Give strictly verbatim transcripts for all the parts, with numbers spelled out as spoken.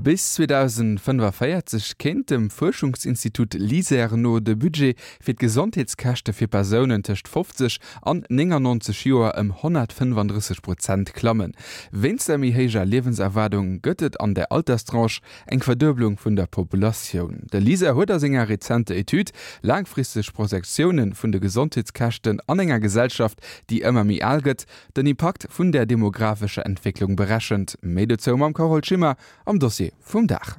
Bis zweedausendfënnefavéierzeg kéint dem Fuerschungsinstitut LISER no de Budget fir d'Gesondheetskäschte fir Persounen tëscht fofzeg an néngannonzeg Joer ëm honnertfënnefandrësseg Prozent klammen. Wéinst der méi héijer Liewenserwaardung gëtt et an där Alterstranche eng Verdueblung vun der Populatioun. De LISER huet a senger rezenter Etüd Laangfristeg Projektioune vun de Gesondheetskäschten an enger Gesellschaft, déi ëmmer méi al gëtt, den Impakt vun der demographescher Entwécklung berechent. Méi dozou mam Carole Schimmer am Dossier vum Dag.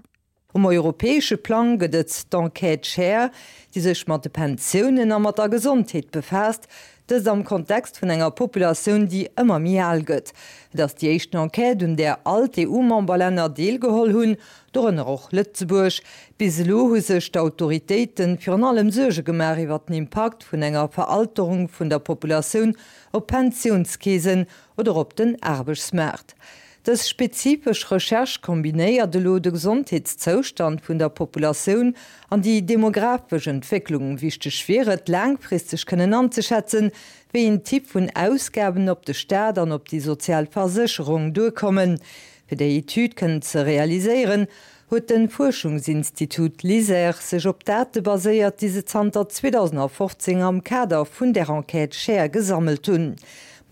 Um europäesche Plang gëtt et d'Enquête Share, déi sech mat de Pensiounen a mat der Gesondheet befaasst, dëst am Kontext vun enger Populatioun, déi ëmmer méi al gëtt. Et ass déi éischten Enquête, un där all d'EU-Memberlänner deelgeholl hunn, dorënner och Lëtzebuerg. Bis elo hu sech d'Autoritéite virun allem Suerge gemaach iwwer den Impakt vun enger Veralterung vun der Populatioun op d'Pensiounskeesen oder op den Aarbechtsmaart. Dës spezifesch Recherche kombinéiert elo de Gesondheetszoustand vun der Populatioun an déi demografesch Entwécklung. Wichteg wier et, laangfristeg kënnen anzeschätzen, wéi een Typ vun Ausgaben op de Staat an op déi sozial Versécherung duerkommen. Fir déi Etüd kënnen ze realiséieren, huet de Fuerschungsinstitut LISER sech op Date baséiert, déi se zanter zweedausendfofzéng am Kader vun der Enquête Share gesammelt hunn.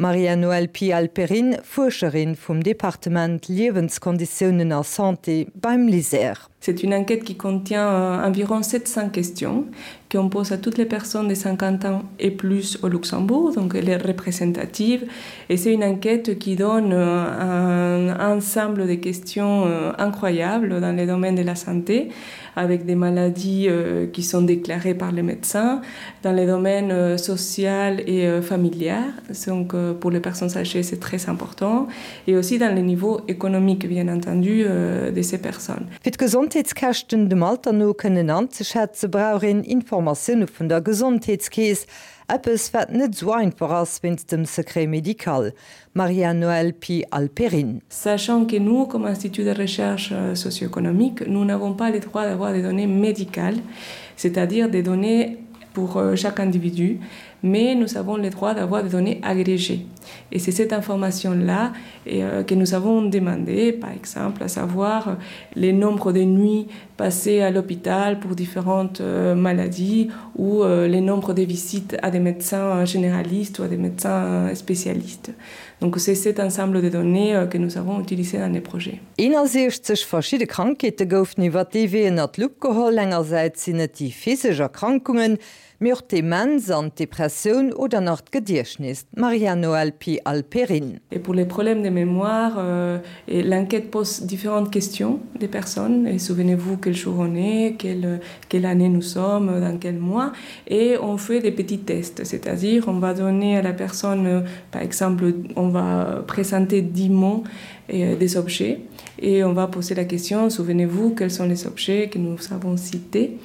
Maria-Noëlle Pi-Alperin, Fuerscherin vum Departement Liewenskonditiounen a Santé beim LISER. C'est une enquête qui contient environ sept cents questions qu'on pose à toutes les personnes de cinquante ans et plus au Luxembourg, donc elle est représentative. Et c'est une enquête qui donne un ensemble de questions incroyables dans les domaines de la santé, avec des maladies qui sont déclarées par les médecins, dans les domaines social et familial, donc pour les personnes âgées c'est très important, et aussi dans les niveaux économiques, bien entendu, de ces personnes. Fir d'Gesondheetskäschten dem Alter no kënnen anzeschätze brauch een Informatioune vun der Gesondheetskeess, eppes wat net sou einfach ass wéinst dem Secret médical. Maria-Noëlle Pi-Alperin. Sachant que nous, comme institut de recherche socio-économique, nous n'avons pas le droit d'avoir des données médicales, c'est-à-dire des données pour chaque individu, mais nous avons le droit d'avoir des données agrégées. Et c'est cette information-là euh, que nous avons demandé, par exemple, à savoir les nombres de nuits passées à l'hôpital pour différentes euh, maladies ou euh, les nombres de visites à des médecins généralistes ou à des médecins spécialistes. Donc c'est cet ensemble de données euh, que nous avons utilisé dans les projets. Eenasiechzeg verschidde Krankheete goufen iwwer dee Wee ënnert d'Lupp geholl. Engersäits sinn et déi physesch Erkrankungen, mee och d'Demenz an d'Depressioun oder nach d'Gediechtnes. Maria-Noëlle Pi-Alperin. Et pour les problèmes de mémoire, euh, et l'enquête pose différentes questions des personnes. Et souvenez-vous quel jour on est, quelle, quelle année nous sommes, dans quel mois. Et on fait des petits tests, c'est-à-dire on va donner à la personne, par exemple, on va présenter dix mots et des objets et on va poser la question: souvenez-vous quels sont les objets que nous avons cités?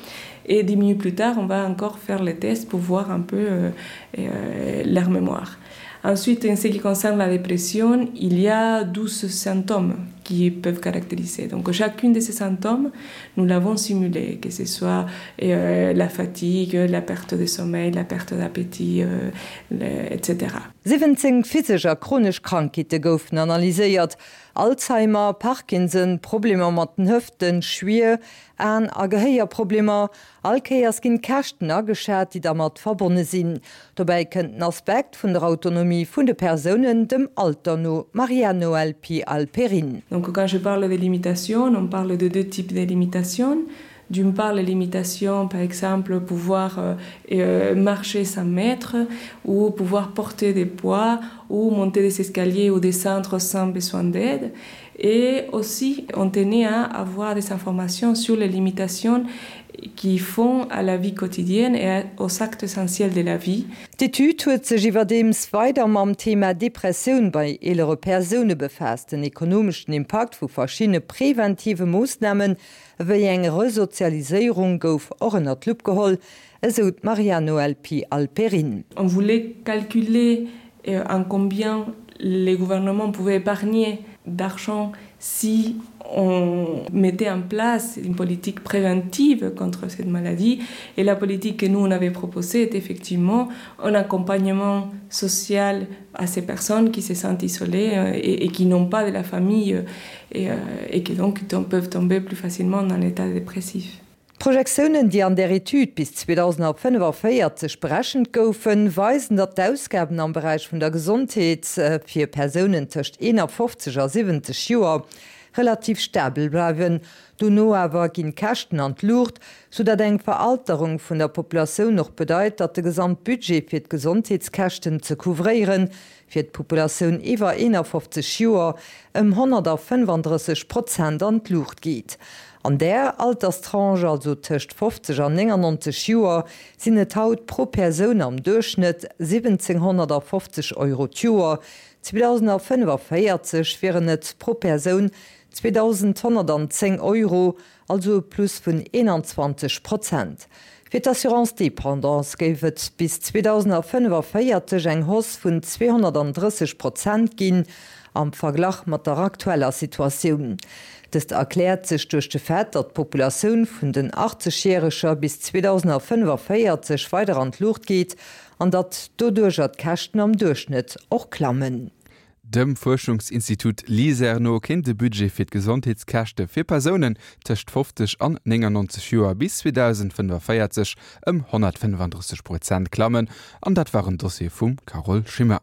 Et dix minutes plus tard, on va encore faire les tests pour voir un peu euh, euh, leur mémoire. Ensuite, en ce qui concerne la dépression, il y a douze symptômes qui peuvent caractériser. Donc chacune de ces symptômes, nous l'avons simulé, que ce soit euh, la fatigue, la perte de sommeil, la perte d'appétit, euh, le, et cetera Siwwenzéng physesch a chronesch Krankheete goufen analyséiert, Alzheimer, Parkinson, Problemer mat den Hëften, schwier An a Gehéierproblemer. All Kéiers ginn d'Käschten ageschat, déi dermat verbonne sinn. Dobäi kënnt den Aspekt vun der Autonomie vun de Persounen dem Alter no. Maria-Noëlle Pi-Alperin. Donc quand je parle de limitations, on parle de deux types de limitations. D'une part, les limitations, par exemple, pouvoir euh, euh, marcher sans maître, ou pouvoir porter des poids, ou monter des escaliers ou descendre sans besoin d'aide. Et aussi, on tenait à avoir des informations sur les limitations qui font à la vie quotidienne et aux actes essentiels de la vie. D'Etüd huet sech iwwerdeems weider mam Thema Depressioun bei eelere Persoune befaasst. Den ekonomeschen Impakt vu verschiddene preventive Moossnamen, ewéi eng Resozialiséierung gouf och ënner d'Lupp geholl, esou d'Maria-Noëlle Pi-Alperin. On voulait calculer en combien les gouvernements pouvaient épargner d'argent si on mettait en place une politique préventive contre cette maladie et la politique que nous on avait proposée est effectivement un accompagnement social à ces personnes qui se sentent isolées euh, et, et qui n'ont pas de la famille euh, et, euh, et qui donc peuvent tomber plus facilement dans l'état dépressif. D'Projektiounen, déi an der Etüd bis zweedausendfënnefenvéierzeg berechent goufen, weisen, datt d'Ausgaben am Beräich vun der Gesondheet fir Persounen tëscht eenafofzeg a siwwenzeg Joer relativ stabel bleiwen. Dono awer ginn d'Käschten an d'Luucht, soudatt eng Veralterung vun der Populatioun och bedeit, datt de Gesamtbudget fir d'Gesondheetskäschten ze couvréieren, fir d'Populatioun iwwer eenafofzeg Joer ëm honnertfënnefandrësseg Prozent an d'Luucht geet. An där Alterstranche, also tëscht fofzeg an néngannonzeg Joer, sinn et haut pro Persoun am Duerchschnëtt siwwenzénghonnertafofzeg Euro d'Joer, zweedausendfënnefenvéierzeg wieren et pro Persoun zweedausendhonnertanzéng Euro, also e Plus vun eenanzwanzeg Prozent. Fir d'Assurance dépendance géif et bis zweedausendfënnefenvéierzeg eng Hausse vun zweehonnertandrësseg Prozent ginn am Verglach mat der aktueller Situatioun. Dëst erkläert sech duerch de Fait, datt d'Populatioun vun den Achtzegjäreger bis zweedausendfënnefenvéierzeg weider an d'Luucht geet an datt doduercher d'Käschten am Duerchschnëtt och klammen. Dem Fuerschungsinstitut LISER no kéint de Budget fir d'Gesondheetskäschte fir Persounen tëscht fofzeg an néngannonzeg Joer bis zweedausendfënnefenvéierzeg ëm honnertfënnefandrësseg Prozent klammen. An dat war en Dossier vum Carole Schimmer.